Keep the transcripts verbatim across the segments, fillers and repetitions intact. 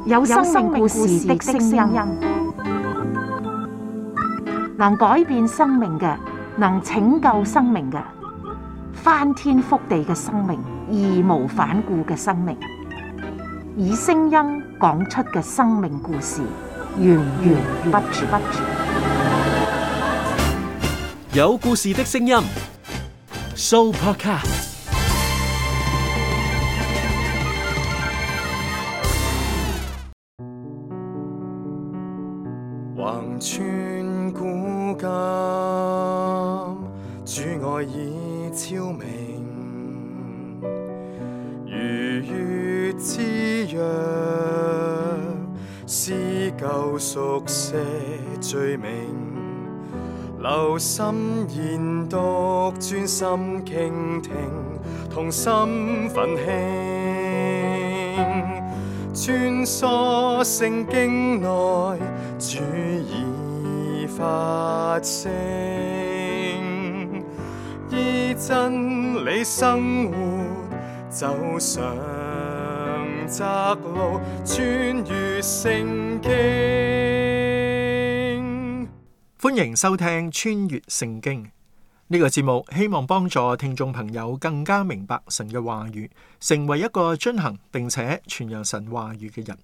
有生命故事的聲音，能改變生命嘅，能拯救生命嘅，翻天覆地嘅生命，義無反顧嘅生命，以聲音講出嘅生命故事，源源不絕。有故事的聲音 ，Sooopodcast。橫穿古今，主愛已超明，如月之約，撕舊熟寫罪名，留心研讀，專心傾聽，同心奮興，穿梭聖經內，主已發聲，依真理生活，走上窄路，穿越聖經。歡迎收聽穿越聖經呢個節目，希望幫助聽眾朋友更加明白神嘅話語，成為一個遵行並且傳揚神話語嘅人。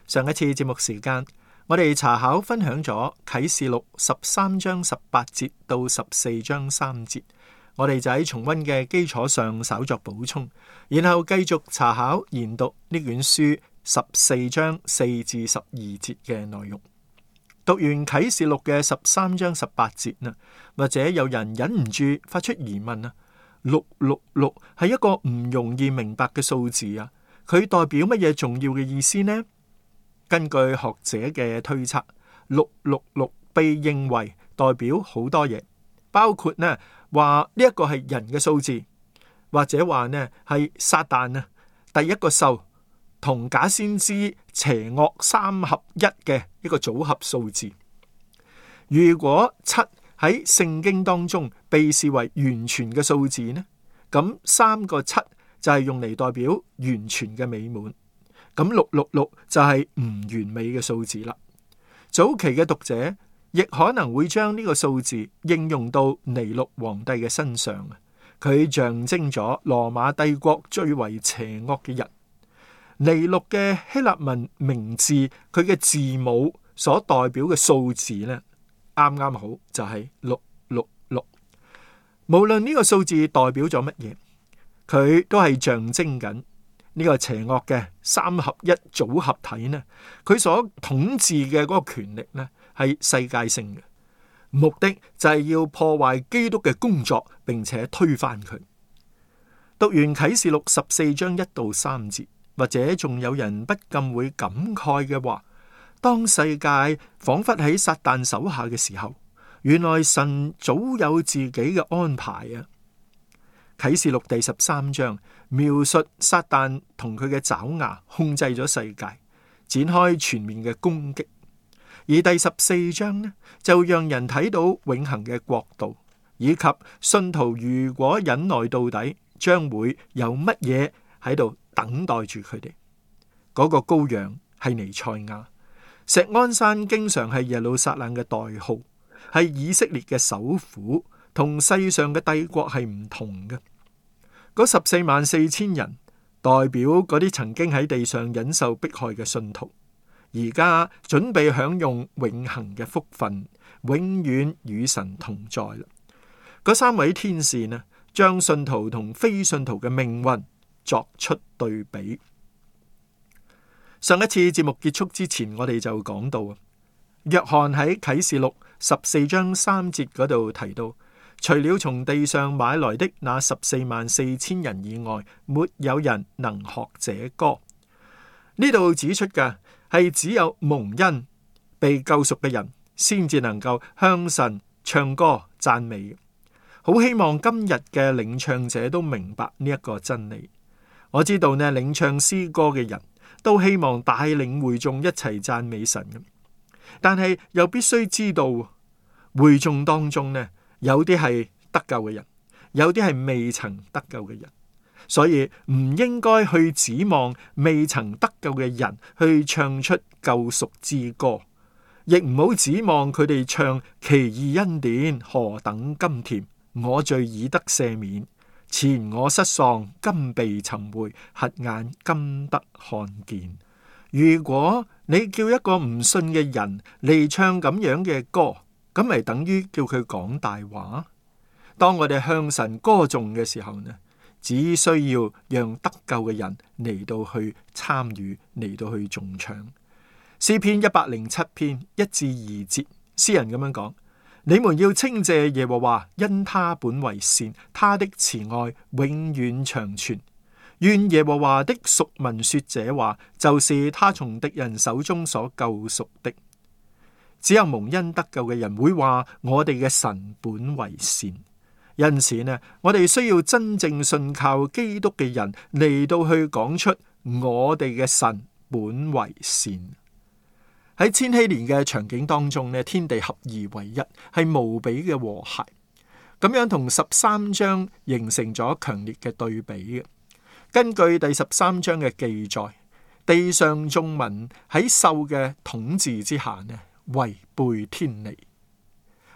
上一次節目時間，我哋查考分享咗啟示錄十三章十八節到十四章三節，我哋就喺重溫嘅基礎上稍作補充，然後繼續查考研讀呢卷書十四章四至十二節嘅內容。讀完啟示錄嘅十三章十八節啊，或者有人忍唔住發出疑問啊，六六六係一個唔容易明白嘅數字啊，佢代表乜嘢重要嘅意思呢？根據學者嘅推測，六六六被認為代表好多嘢，包括呢話呢一個係人嘅數字，或者話呢係撒旦啊第一個獸同假先知邪惡三合一嘅一個組合數字。如果七喺聖經當中被視為完全嘅數字呢，咁三個七就係用嚟代表完全嘅美滿。咁六六六就係唔完美嘅數字啦。早期嘅讀者亦可能會將呢個數字應用到尼祿皇帝嘅身上，佢象徵咗羅馬帝國最為邪惡嘅人。尼祿嘅希臘文名字，佢嘅字母所代表嘅數字呢，啱啱好就係六六六。無論呢個數字代表咗乜嘢，佢都係象徵緊呢個邪惡嘅三合一組合體呢，佢所統治嘅嗰個權力呢，係世界性嘅，目的就係要破壞基督嘅工作，並且推翻佢。讀完啟示錄十四章一到三節，或者仲有人不禁會感慨嘅話，當世界仿佛喺撒旦手下嘅時候，原來神早有自己嘅安排啊！啟示錄第十三章描述撒旦同佢嘅爪牙控制咗世界，展開全面嘅攻擊。而第十四章呢，就讓人睇到永恆嘅國度，以及信徒如果忍耐到底，將會有乜嘢喺度等待住佢哋。嗰個羔羊係彌賽亞，錫安山經常係耶路撒冷嘅代號，係以色列嘅首府，同世上嘅帝國係唔同嘅。嗰十四萬四千人代表嗰啲曾經喺地上忍受迫害嘅信徒，而家準備享用永恆嘅福分，永遠與神同在啦。嗰三位天使呢，將信徒同非信徒嘅命運作出對比。上一次節目結束之前，我哋就講到啊，約翰喺啟示錄十四章三節嗰度提到，除了從地上買來的那十四萬四千人以外，沒有人能學這歌。呢度指出嘅係只有蒙恩被救贖嘅人，先至能夠向神唱歌讚美。好希望今日嘅領唱者都明白呢一個真理。我知道呢，領唱詩歌嘅人都希望帶領會眾一齊讚美神嘅，但係又必須知道會眾當中呢，有啲係得救嘅人，有啲係未曾得救嘅人。所以唔應該去指望未曾得救嘅人去唱出救贖之歌，亦唔好指望佢哋唱奇異恩典何等甘甜，我罪已得赦免，前我失喪今被尋回，瞎眼今得看見。如果你叫一個唔信嘅人嚟唱咁樣嘅歌，咁咪等於叫佢講大話？當我哋向神歌頌嘅時候呢，只需要讓得救嘅人嚟到去參與，嚟到去頌唱。詩篇一百零七篇一至二節，詩人咁樣講：你們要稱謝耶和華，因他本為善，他的慈愛永遠長存。願耶和華的贖民說這話，就是他從敵人手中所救贖的。只有蒙恩得救嘅人會話我哋嘅神本為善。因此呢，我哋需要真正信靠基督嘅人嚟到去講出我哋嘅神本為善。喺千禧年嘅場景當中呢，天地合而為一，係無比嘅和諧。咁樣同十三章形成咗強烈嘅對比嘅。根據第十三章嘅記載，地上眾民喺獸嘅統治之下呢，違背天理。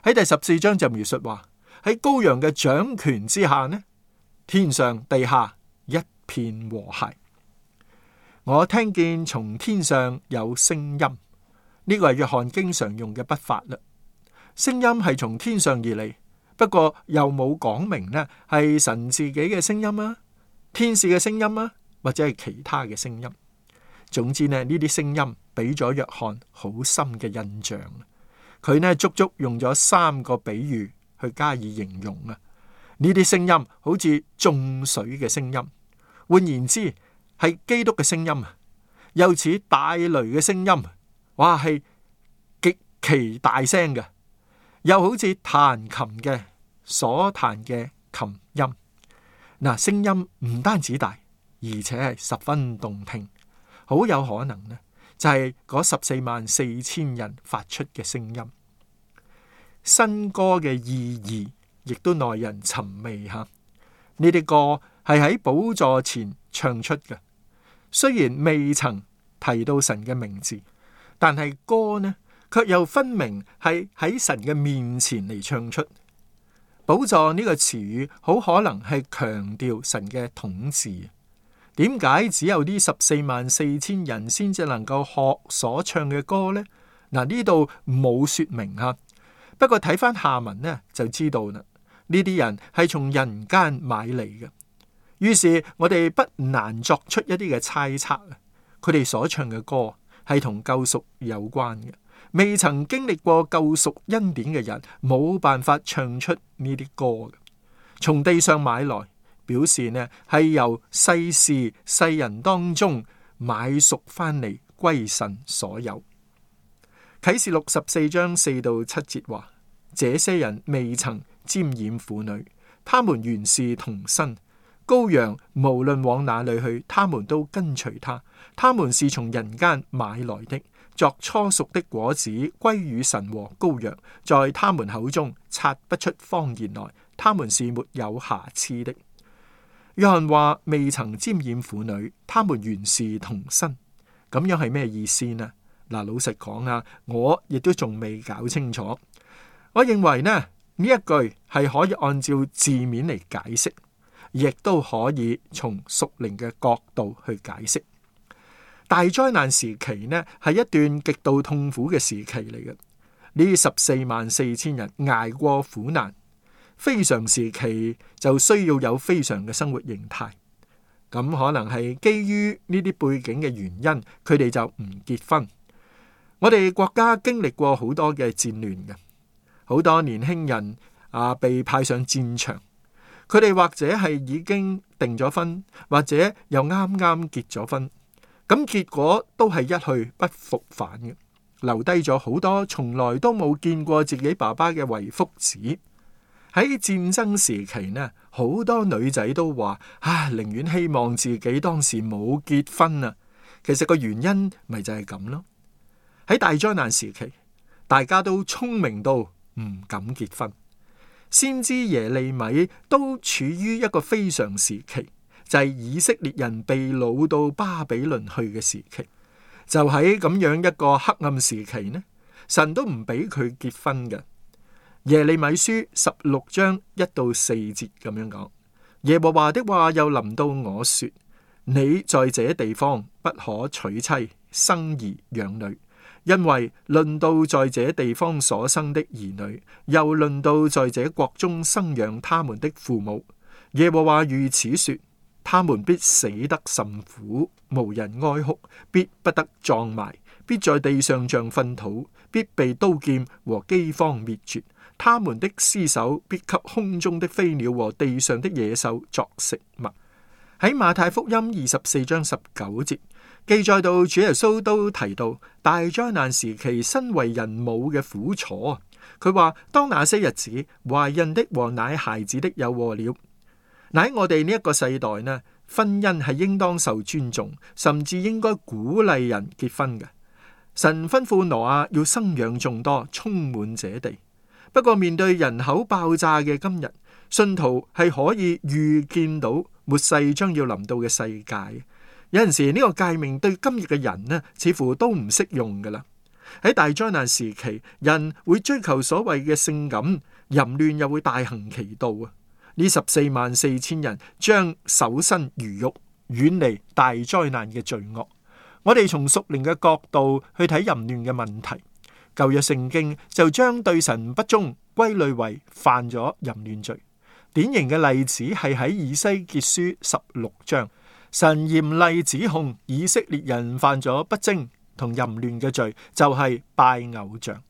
喺第十四章就描述話，喺羔羊嘅掌權之下呢，天上地下一片和諧。我聽見從天上有聲音，呢個係約翰經常用嘅筆法啦。聲音係從天上而嚟，不過又冇講明呢係神自己嘅聲音啊，天使嘅聲音啊，或者係其他嘅聲音。總之呢，呢啲聲音俾咗約翰好深嘅印象。佢呢足足用咗三個比喻去加以形容啊。呢啲聲音好似眾水嘅聲音，換言之係基督嘅聲音啊，又似大雷嘅聲音，哇係極其大聲嘅，又好似彈琴嘅所彈嘅琴音。嗱，聲音唔單止大，而且係十分動聽，好有可能呢就係嗰十四萬四千人發出嘅聲音。新歌嘅意義亦都耐人尋味吓。呢啲歌係喺寶座前唱出嘅，雖然未曾提到神嘅名字，但係歌呢卻又分明係喺神嘅面前嚟唱出。寶座呢個詞語好可能係強調神嘅統治。點解只有呢十四萬四千人先至能夠學所唱嘅歌呢？嗱，呢度冇說明吓，不過睇翻下文呢就知道啦。呢啲人係從人間買嚟嘅，於是我哋不難作出一啲嘅猜測。佢哋所唱嘅歌係同救贖有關嘅。未曾經歷過救贖恩典嘅人冇辦法唱出呢啲歌嘅。從地上買來，表示呢係由世事世人當中買贖翻嚟歸神所有。啟示錄十四章四到七節話：這些人未曾沾染婦女，他們原是童身。羔羊無論往哪裏去，他們都跟隨他。他們是從人間買來的，作初熟的果子歸與神和羔羊，在他們口中察不出謊言來，他們是沒有瑕疵的。約翰話未曾沾染婦女，他們原是童身，咁樣係咩意思呢？嗱，老實講啊，我亦都仲未搞清楚。我認為呢呢一句係可以按照字面嚟解釋，亦都可以從屬靈嘅角度去解釋。大災難時期呢係一段極度痛苦嘅時期嚟嘅，呢十四萬四千人捱過苦難。非常時期就需要有非常嘅生活形態，咁可能係基於呢啲背景嘅原因，佢哋就唔結婚。我哋國家經歷過好多嘅戰亂嘅，好多年輕人啊被派上戰場，佢哋或者係已經訂咗婚，或者又啱啱結咗婚，咁結果都係一去不復返嘅，留低咗好多從來都冇見過自己爸爸嘅遺腹子。喺戰爭時期呢，好多女仔都話啊，寧願希望自己當時冇結婚啊。其實個原因咪就係咁咯。喺大災難時期，大家都聰明到唔敢結婚。先知耶利米都處於一個非常時期，就係以色列人被擄到巴比倫去嘅時期。就喺咁樣一個黑暗時期呢，神都唔俾佢結婚嘅。耶利米書十六章一到四節咁樣講：耶和華的話又臨到我說，你在這地方不可娶妻生兒養女，因為論到在這地方所生的兒女，又論到在這國中生養他們的父母，耶和華如此說，他們必死得甚苦，無人哀哭，必不得葬埋，必在地上像糞土，必被刀劍和饑荒滅絕。他們的屍首必給空中的飛鳥和地上的野獸作食物。喺馬太福音二十四章十九節記載到，主耶穌都提到大災難時期身為人母嘅苦楚。佢話：當那些日子，懷孕的和奶孩子的有禍了。嗱，喺我哋呢一個世代呢，婚姻係應當受尊重，甚至應該鼓勵人結婚嘅。神吩咐挪亞要生養眾多，充滿這地。不過面對人口爆炸嘅今日，信徒係可以預見到末世將要臨到嘅世界。有陣時呢個誡命對今日嘅人呢，似乎都唔適用噶啦。喺大災難時期，人會追求所謂嘅性感，淫亂又會大行其道啊！呢十四萬四千人將守身如玉，遠離大災難嘅罪惡。我哋從屬靈嘅角度去睇淫亂嘅問題，舊約聖經就將對神不忠歸類為犯咗淫亂罪。典型嘅例子係喺以西結書十六章，神嚴厲指控以色列人犯咗不貞同淫亂嘅罪，就係拜偶像。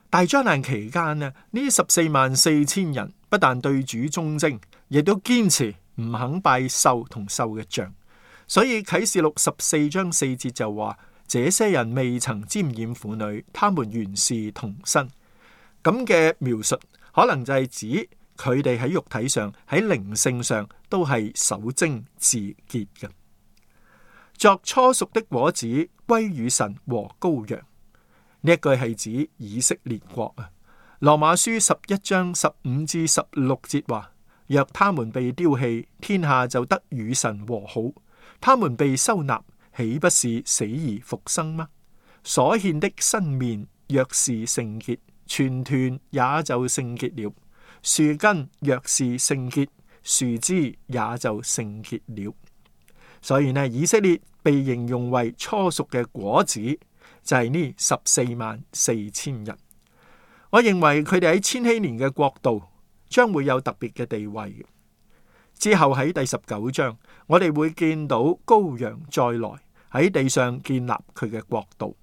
大災難期間呢，呢十四萬四千人不但對主忠貞，亦都堅持唔肯拜獸同獸嘅像。所以啟示錄十四章四節就話：這些人未曾沾染婦女，他們原是童身。咁嘅描述可能就係指佢哋喺肉體上、喺靈性上都係守貞自潔嘅。作初熟的果子歸與神和羔羊，呢一句係指以色列國啊。羅馬書十一章十五至十六節話：若他們被丟棄，天下就得與神和好；他們被收納，豈不是死而復生嗎？所獻的新麵若是聖潔，全團也就聖潔了；樹根若是聖潔，樹枝也就聖潔了。所以呢，以色列被形容為初熟嘅果子，就係呢十四萬四千人。我認為佢哋喺千禧年嘅國度將會有特別嘅地位。之後喺第十九章，我哋會見到羔羊再來喺地上建立佢嘅國度。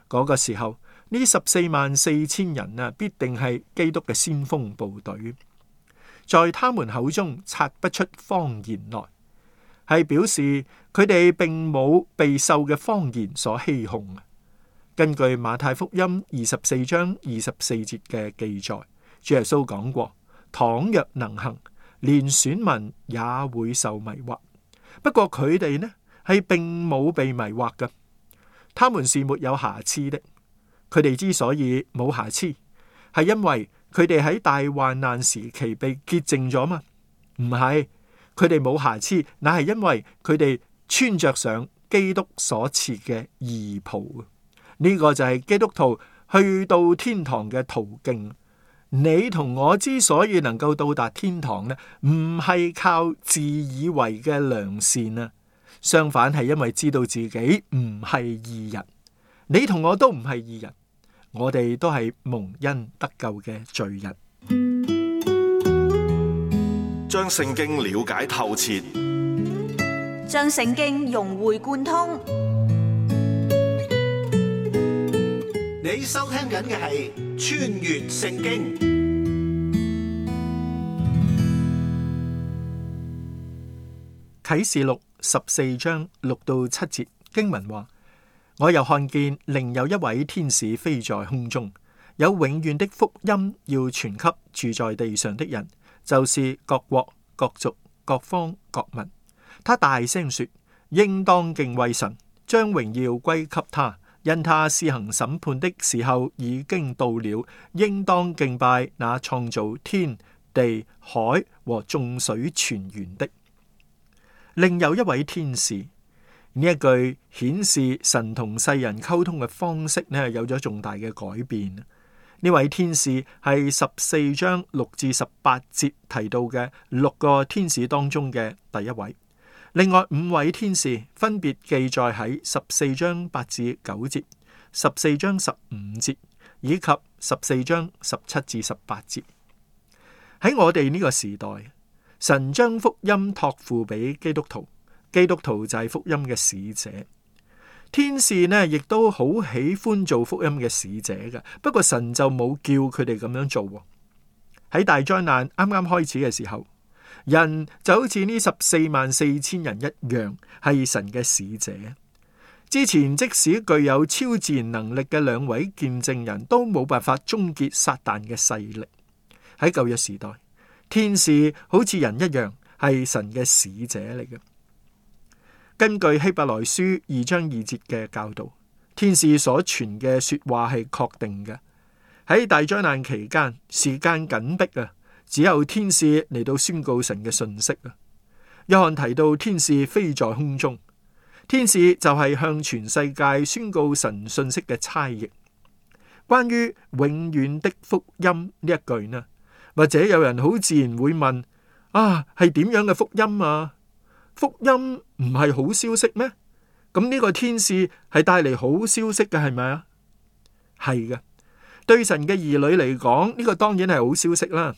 嗰、那個時候，呢十四萬四千人啊，必定係基督嘅先鋒部隊，在他們口中察不出謊言來，係表示佢哋並冇被獸嘅謊言所欺哄。根據馬太福音二十四章二十四節嘅記載，主耶穌講過：倘若能行，連選民也會受迷惑。不過佢哋呢係並冇被迷惑嘅，他們是沒有瑕疵的。佢哋之所以冇瑕疵，係因為佢哋喺大患難時期被潔淨咗嘛？唔係，佢哋冇瑕疵，乃係因為佢哋穿着上基督所賜嘅義袍。呢個就係基督徒去到天堂嘅途徑。你同我之所以能夠到達天堂呢，唔係靠自以為嘅良善啊，相反係因為知道自己唔係義人。你同我都唔係義人，我哋都係蒙恩得救嘅罪人。將聖經了解透徹，將聖經融會貫通。你收聽緊嘅係《穿越聖經》啟示錄十四章六到七節經文話：我又看見另有一位天使飛在空中，有永遠的福音要傳給住在地上的人，就是各國、各族、各方、各民。他大聲說：應當敬畏神，將榮耀歸給他。因他施行審判的時候已經到了，應當敬拜那創造天地海和眾水泉源的。另有一位天使。呢一句顯示神同世人溝通嘅方式呢，有咗重大嘅改變。呢位天使係十四章六至十八節提到嘅六個天使當中嘅第一位。另外五位天使分別記載喺十四章八至九節、十四章十五節以及十四章十七至十八節。喺我哋呢個時代，神將福音託付俾基督徒，基督徒就係福音嘅使者。天使呢亦都好喜歡做福音嘅使者嘅，不過神就冇叫佢哋咁樣做。喺大災難啱啱開始嘅時候，人就好似呢十四萬四千人一樣，係神嘅使者。之前即使具有超自然能力嘅兩位見證人都冇辦法終結撒旦嘅勢力。喺舊約時代，天使好似人一樣，係神嘅使者嚟嘅。根據希伯來書二章二節嘅教導，天使所傳嘅說話係確定嘅。喺大災難期間，時間緊迫啊，只有天使嚟到宣告神嘅信息啊。約翰提到天使飛在空中，天使就係向全世界宣告神信息嘅差役。關於永遠的福音呢一句呢，或者有人好自然會問：啊，係點樣嘅福音啊？福音唔係好消息咩？咁呢個天使係帶嚟好消息嘅，係咪啊？係嘅，對神嘅兒女嚟講，呢個當然係好消息啦。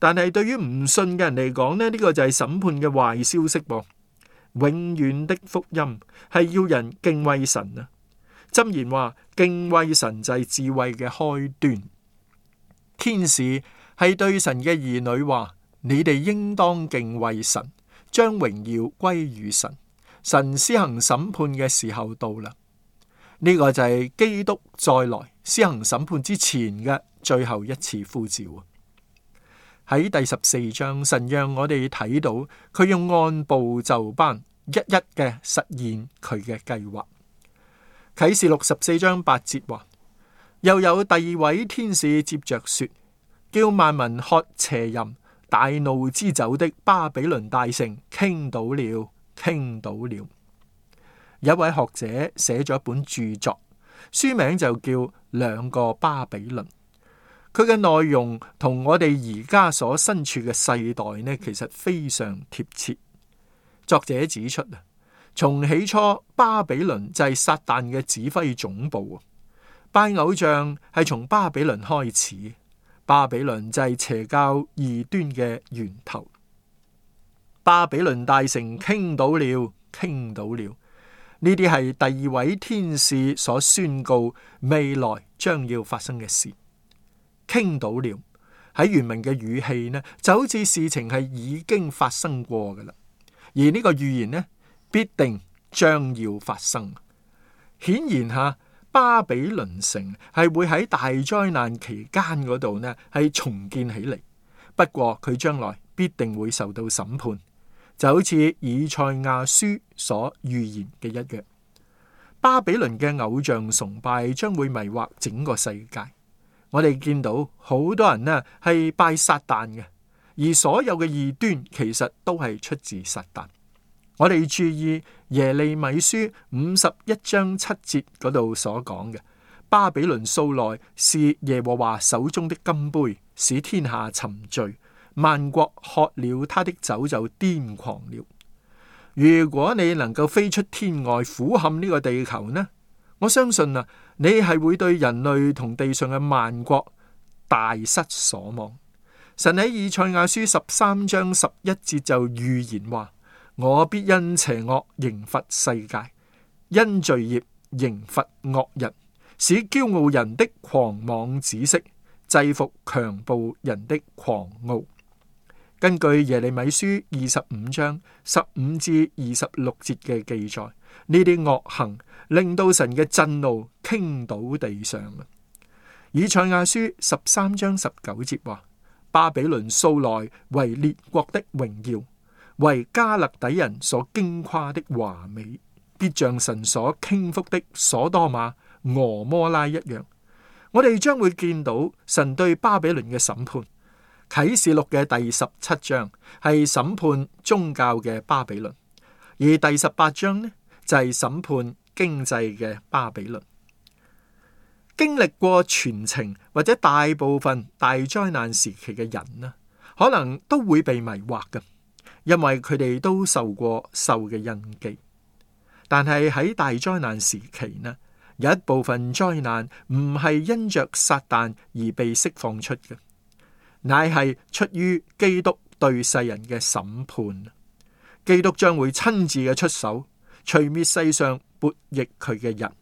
但係對於唔信嘅人嚟講呢，呢個就係審判嘅壞消息噃。永遠的福音係要人敬畏神啊。箴言話：敬畏神就係智慧嘅開端。天使係對神嘅兒女話：你哋應當敬畏神，將榮耀歸於神。神施行審判嘅時候到啦，呢、這個就係基督再來施行審判之前嘅最後一次呼召。喺第十四章，神讓我哋睇到佢用按部就班一一嘅實現佢嘅計劃。啟示錄十四章八節話：又有第二位天使接着說，叫萬民喝邪淫大怒之酒的巴比倫大城傾倒了，傾倒了。有一位學者寫咗一本著作，書名就叫《兩個巴比倫》。佢嘅內容同我哋而家所身處嘅世代呢，其實非常貼切。作者指出啊，從起初巴比倫就係撒旦嘅指揮總部，拜偶像係從巴比倫開始。巴比倫就係邪教異端嘅源頭。巴比倫大城傾倒了，傾倒了。呢啲係第二位天使所宣告未來將要發生嘅事。傾倒了喺原文嘅語氣呢，就好似事情係已經發生過噶啦，而呢個預言呢，必定將要發生。顯然吓，巴比倫城係會喺大災難期間嗰度呢係重建起嚟，不過佢將來必定會受到審判，就好似以賽亞書所預言嘅一樣。巴比倫嘅偶像崇拜將會迷惑整個世界。我哋見到好多人呢係拜撒旦嘅，而所有嘅異端其實都係出自撒旦。我哋注意耶利米書五十一章七節嗰度所講嘅，巴比倫素來是耶和華手中的金杯，使天下沉醉，萬國喝了他的酒就癲狂了。如果你能夠飛出天外，俯瞰呢個地球呢，我相信啊，你係會對人類同地上嘅萬國大失所望。神喺以賽亞書十三章十一節就預言話：我必因邪惡刑罰世界，因罪孽刑罰惡人，使驕傲人的狂妄止息，制服強暴人的狂傲。根據耶利米書二十五章十五至二十六節嘅記載，呢啲惡行令到神嘅震怒傾倒地上。以賽亞書十三章十九節話：巴比倫素來為列國的榮耀，為加勒底人所矜誇的華美，必像神所傾覆的所多瑪、俄摩拉一樣。我哋將會見到神對巴比倫嘅審判。啟示錄嘅第十七章係審判宗教嘅巴比倫，而第十八章呢，就係審判經濟嘅巴比倫。經歷過全程或者大部分大災難時期嘅人呢，可能都會被迷惑嘅，因為佢哋都受過獸嘅印記。但係喺大災難時期呢，有一部分災難唔係因着撒旦而被釋放出嘅，乃係出於基督對世人嘅審判。基督將會親自嘅出手，除滅世上悖逆佢嘅人。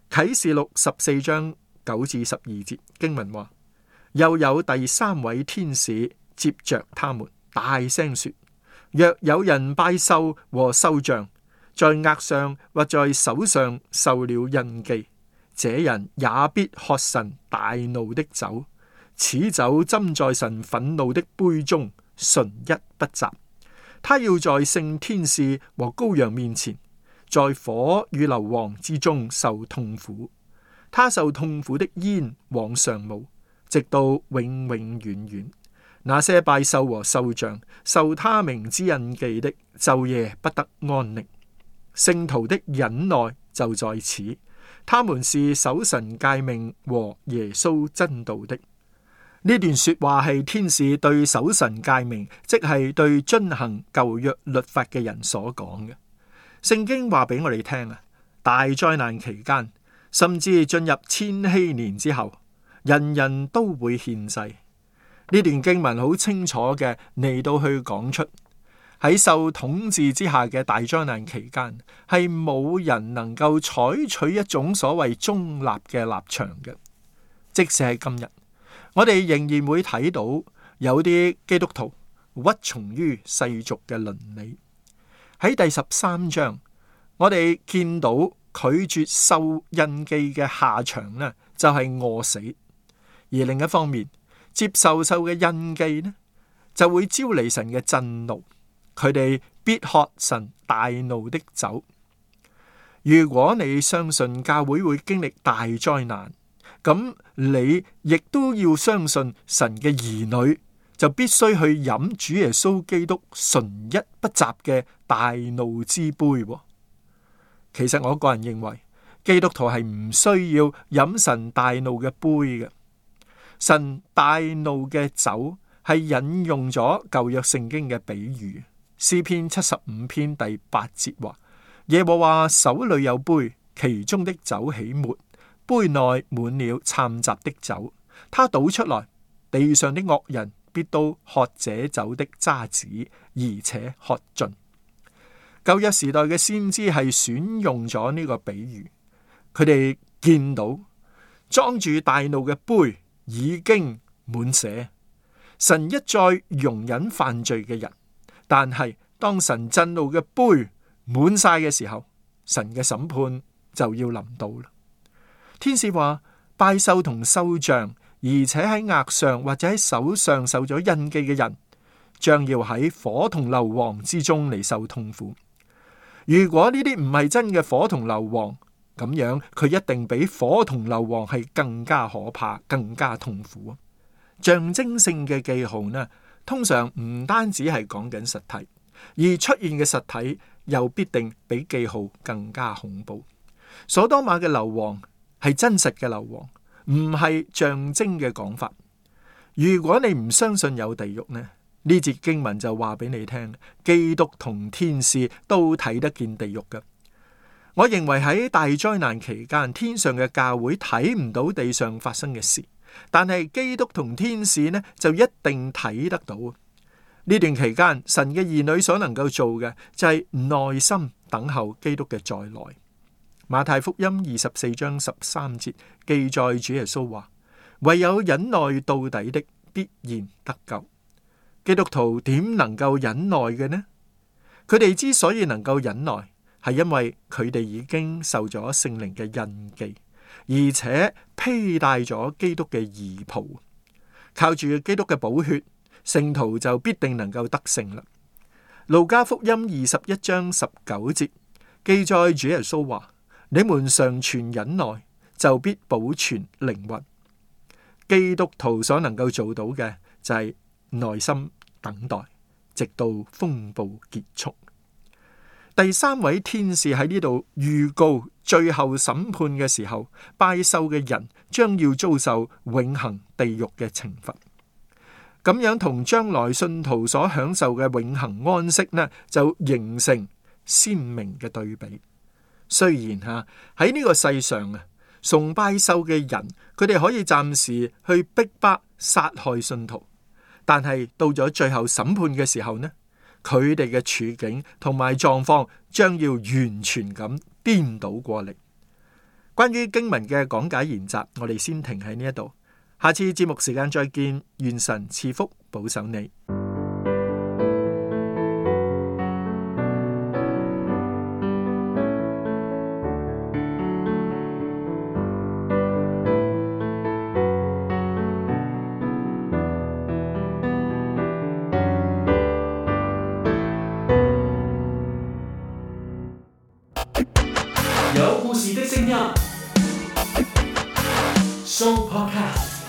啟示錄十四章九至十二節經文話，又有第三位天使接着他們，大聲說：若有人拜獸和獸像，在額上或在手上受了印記，這人也必喝神大怒的酒，此酒斟在神憤怒的杯中，純一不雜。他要在聖天使和羔羊面前，在火與硫磺之中受痛苦。他受痛苦的煙往上冒，直到永永遠遠。那些拜獸和獸像受他名之印記的，晝夜不得安寧。聖徒的忍耐就在此，他們是守神誡命和耶穌真道的。呢段說話係天使對守神誡命，即係對遵行舊約律法嘅人所講嘅。聖經話俾我哋聽啊，大災難期間，甚至進入千禧年之後，人人都會獻祭。呢段經文好清楚嘅嚟到去講出，喺受統治之下嘅大災難期間，係冇人能夠採取一種所謂中立嘅立場嘅。即使係今日，我哋仍然會睇到有啲基督徒屈從於世俗嘅倫理。喺第十三章，我哋見到拒絕受印記嘅下場呢，就係餓死；而另一方面，接受受嘅印記呢，就會招嚟神嘅震怒，佢哋必喝神大怒的酒。如果你相信教會會經歷大災難，咁你亦都要相信神嘅兒女就必須去飲主耶穌基督純一不雜嘅大怒之杯。其實我個人認為，基督徒係唔需要飲神大怒嘅杯嘅。神大怒嘅酒係引用咗舊約聖經嘅比喻，詩篇七十五篇第八節話：耶和華手裏有杯，其中的酒起沫，杯內滿了摻雜的酒，他倒出來，地上的惡人必都喝這酒的渣子，而且喝盡。舊約時代嘅先知係選用咗呢個比喻，佢哋見到裝住大怒嘅杯已經滿瀉，神一再容忍犯罪嘅人，但係當神震怒嘅杯滿晒嘅時候，神嘅審判就要臨到啦。天使話，拜獸同獸像，而且喺額上或者喺手上受咗印記嘅人，將要喺火同硫磺之中嚟受痛苦。如果呢啲唔係真嘅火同硫磺，咁樣佢一定比火同硫磺係更加可怕、更加痛苦。象徵性嘅記號呢，通常唔單止係講緊實體，而出現嘅實體又必定比記號更加恐怖。所多瑪嘅硫磺係真實嘅硫磺，唔係象徵嘅講法。如果你唔相信有地獄呢，呢節經文就話俾你聽，基督同天使都睇得見地獄嘅。我認為喺大災難期間，天上嘅教會睇唔到地上發生嘅事，但係基督同天使呢就一定睇得到。呢段期間，神嘅兒女所能夠做嘅就係耐心等候基督嘅再來。馬太福音二十四章十三節記載主耶穌話：唯有忍耐到底的，必然得救。基督徒點能夠忍耐嘅呢？佢哋之所以能夠忍耐，係因為佢哋已經受咗聖靈嘅印記，而且披戴咗基督嘅義袍，靠住基督嘅寶血，聖徒就必定能夠得勝啦。路加福音二十一章十九節記載主耶穌話：你們常存忍耐，就必保存靈魂。基督徒所能夠做到嘅就係耐心等待，直到風暴結束。第三位天使喺呢度預告最後審判嘅時候，拜獸嘅人將要遭受永恆地獄嘅懲罰。咁樣同將來信徒所享受嘅永恆安息呢，就形成鮮明嘅對比。雖然吓喺呢個世上啊，崇拜獸嘅人，佢哋可以暫時去逼迫殺害信徒，但係到咗最後審判嘅時候呢，佢哋嘅處境同埋狀況將要完全咁顛倒過嚟。關於經文嘅講解研習，我哋先停喺呢一度，下次節目時間再見，願神賜福保守你。有故事的聲音，Show Podcast。